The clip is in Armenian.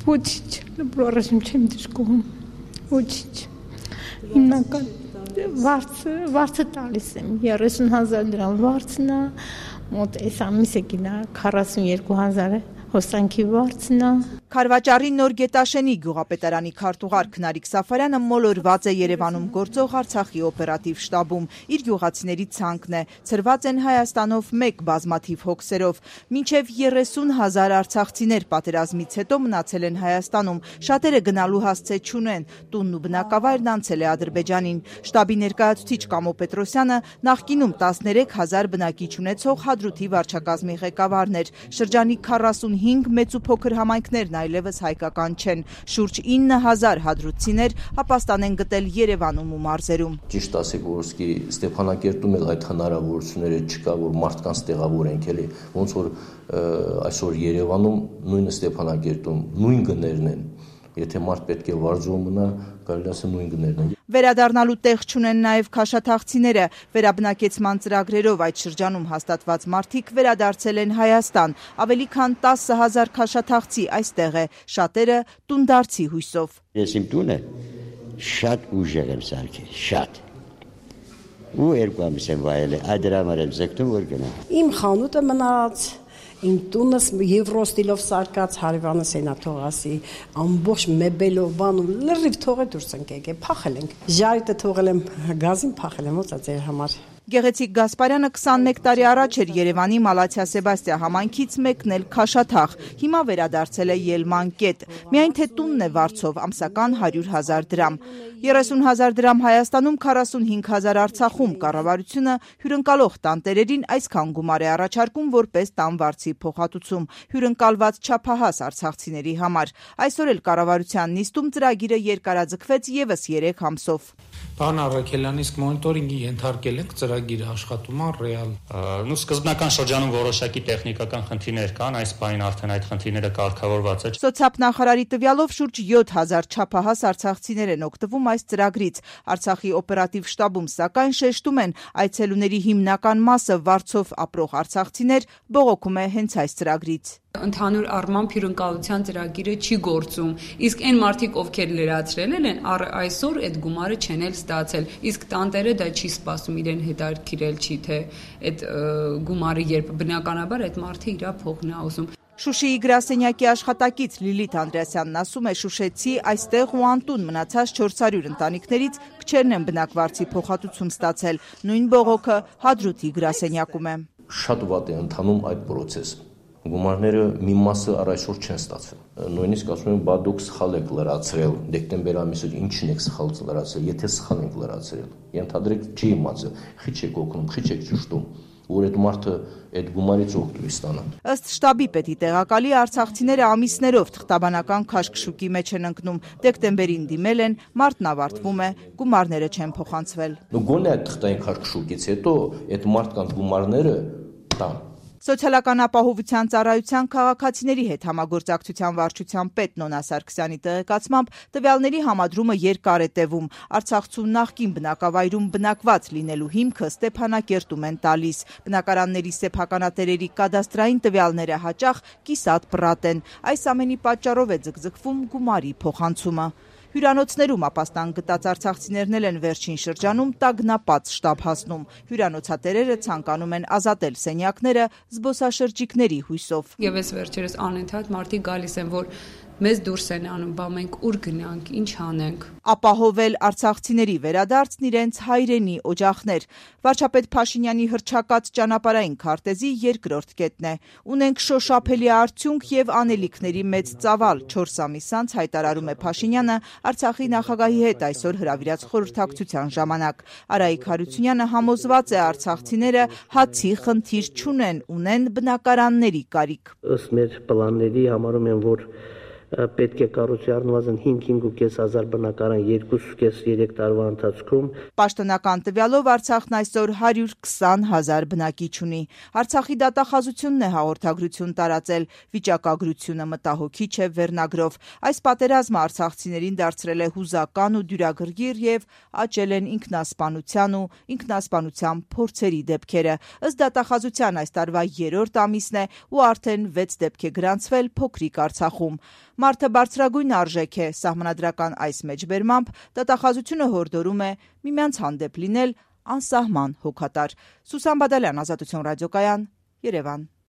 Ոչինչ, լրիվ չեմ դժգոհում, ոչինչ, հիմնական վարձը տալիս եմ, 30,000 դրամ վարձն է, մոտ այս ամիսը գինա 42,000 հոսանքի վարձն է։ Քարվաճարի Նոր Գետաշենի գյուղապետարանի քարտուղար Քնարիկ Սաֆարյանը մոլորված է Երևանում գործող Արցախի օպերատիվ շտաբում։ Իր գյուղացիների ցանկն է, ցրված են Հայաստանով մեկ բազմաթիվ հոգսերով։ Մինչև 30,000 արցախցիներ պատերազմից հետո մնացել են Հայաստանում, շատերը գնալու հասցե չունեն, տունն ու բնակավայրն անցել է Ադրբեջանին։ Շտաբի ներկայացուցիչ Կամո Պետրոսյանը նախկինում 13,000 բնակիչ ունեցող Հադրութի վարչակազմի ղեկավարն էր։ Շրջանի 45 մեծ ու փոքր համայնքներն այլևս հայկական չեն։ Շուրջ 9,000 հադրութցիներ ապաստան են գտել Երևանում ու մարզերում։ Ճիշտ ասեք, որ Ստեփանակերտում էլ այդ հնարավորությունները չկա, որ մարդկանց տեղավորենք, էլի, ոնց որ այսօր Երևանում, նույնը Ստեփանակերտում նույն գներն են։ Եթե մարդ պետք է վարձում մնա, կարելի ասել նույն գներն են։ Վերադառնալու տեղ չունեն նաև քաշաթաղցիները։ Վերաբնակեցման ծրագրերով այդ շրջանում հաստատված մարդիկ վերադարձել են Հայաստան։ Ավելի քան 10,000 քաշաթաղցի այստեղ է, շատերը տունդարձի հույսով։ Ես իմ տունը շատ ուժեղ եմ սարքել, շատ։ Ու 2 ամիս եմ վայել, այդ դրա համար եմ ձգտում, որ գնամ։ Իմ խանութը մնաց, իմ տունս եվրոստիլով սարկած հարևանս էնա թողասի, ամբողջ մեբելով բանում լրիվ թողե դուրս ենք եկել, փախել ենք։ Ժայթը թողել եմ, գազին փախել եմ, ո՞ց է ձեր համար։ Գեղեցիկ Գասպարյանը 21 տարի առաջ էր Երևանի Մալաթիա Սեբաստիա համայնքից մեկնել քաշաթաղ։ Հիմա վերադարձել է Ելման կետ։ Միայն թե տունն է վարձով, ամսական 100,000 դրամ։ 30,000 դրամ Հայաստանում, 45,000 Արցախում կառավարությունը հյուրընկալող տանտերերին այսքան գումար է առաջարկում որպես տանվարձի փոխհատուցում հյուրընկալված չափահաս արցախցիների համար։ Այսօր էլ կառավարության նիստում ծրագիրը երկարաձգվեց եւս 3 ամսով։ Պարոն Առաքելյան, իսկ մոնիտորինգի ենթարկել եք ծրագիրը աշխատում է ռեալ։ Սկզբնական շրջանում որոշակի տեխնիկական խնդիրներ կան, այս պահին արդեն այդ խնդիրները կարգավորված է։ Սոցիալ նախարարի տվյալով շուրջ 7,000 չափահաս արցախցիներ են օգտվում այս ծրագրից։ Արցախի օպերատիվ շտաբում սակայն շեշտում են, այցելուների հիմնական մասը վարձով ապրող արցախցիներ բողոքում է հենց այս ծրագրից։ Ընդհանուր առմամբ հյուրընկալության ծրագիրը չի գործում, իսկ այն մարդիկ, ովքեր լրացրել են, այսօր այդ գումարը չեն էլ ստացել, իսկ տանտերը դա չի սպասում, իրեն հետաքրքրել չի, թե այդ գումարը երբ բնականաբար այդ մարդը իր փողն է ուզում։ Շուշիի գրասենյակի աշխատակից Լիլիթ Անդրեասյանն ասում է, շուշեցի այստեղ ու անտուն մնացած 400 ընտանիքներից քչերն են բնակվարձի փոխհատուցում ստացել։ Նույն բողոքը Հադրութի գրասենյակում է։ Շատ վատ է ընթանում այդ process-ը։ Գումարները մի մասը առ այսօր չեն ստացվել։ Նույնիսկ ասում են, բա դուք սխալ եք լրացրել, դեկտեմբեր ամիսը ինչն եք սխալ լրացրել, եթե սխալ եք լրացրել։ Ենթադրեք չի իմացել, խիչ եք օգնում, խիչ եք ճշտում, որ այդ մարդը այդ գումարից օգտվի ստանա։ Ըստ շտաբի պետի տեղակալի արցախցիները ամիսներով թղթաբանական քաշքշուկի մեջ են ընկնում, դեկտեմբերին դիմել են, մարտն ավարտվում է, գումարները չեն փոխանցվել։ Գոնե այդ թղթային քաշքշուկից հետո այդ մարդկանց գումարները տան։ Սոցիալական ապահովության ծառայության քաղաքացիների հետ համագործակցության վարչության պետ Նոնա Սարգսյանի տեղեկացմամբ տվյալների համադրումը երկար է տևում։ Արցախցու նախկին բնակավայրում բնակված լինելու հիմքը Ստեփանակերտում են տալիս։ Բնակարանների սեփականատերերի կադաստրային տվյալները հաճախ կիսատ պռատ են։ Այս ամենի պատճառով է ձգձգվում գումարի փոխանցումը։ Հյուրանոցներում ապաստան գտած արցախցիներն են վերջին շրջանում տագնապած շտաբ հասնում։ Հյուրանոցատերերը ցանկանում են ազատել սենյակները զբոսաշրջիկների հույսով։ Եվս վերջերս անընդհատ մարդիկ գալիս են, որ մեզ դուրս են անում, բա մենք ուր գնանք, ինչ անենք։ Ապահովել արցախցիների վերադարձն իրենց հայրենի օջախներ։ Վարչապետ Փաշինյանի հռչակած ճանապարհային քարտեզի երկրորդ կետն է։ Ունենք շոշափելի արդյունք եւ անելիքների մեծ ծավալ։ 4 ամիս անց հայտարարում է Փաշինյանը Արցախի նախագահի հետ այսօր հրավիրած խորհրդակցության ժամանակ։ Արայիկ Հարությունյանը համոզված է արցախցիները հացի խնդիր չունեն, ունեն բնակարանների կարիք։ Ըստ մեր պլանների համարում են, որ պետք է կառուցի առնվազն 5,500 բնակարան 2,5-3 տարվա ընթացքում։ Պաշտոնական տվյալով Արցախն այսօր 120,000 բնակիչ ունի։ Արցախի դատախազությունն է հաղորդագրություն տարածել, վիճակագրությունը մտահոգիչ է վերնագրով։ Այս պատերազմը արցախցիներին դարձրել է հուզական ու դյուրագրգիռ եւ աճել են ինքնասպանության ու ինքնասպանության փորձերի դեպքերը։ Ըստ դատախազության այս տարվա 3-րդ ամիսն է ու արդեն 6 դեպք է գրանցվել փոքրիկ Արցախում։ Մարդը բարձրագույն արժեք է, սահմանադրական այս մեջբերմամբ դատախազությունը հորդորում է միմյանց հանդեպ լինել անսահման հոգատար։ Սուսան Բադալյան, Ազատություն ռադիոկայան, Երևան։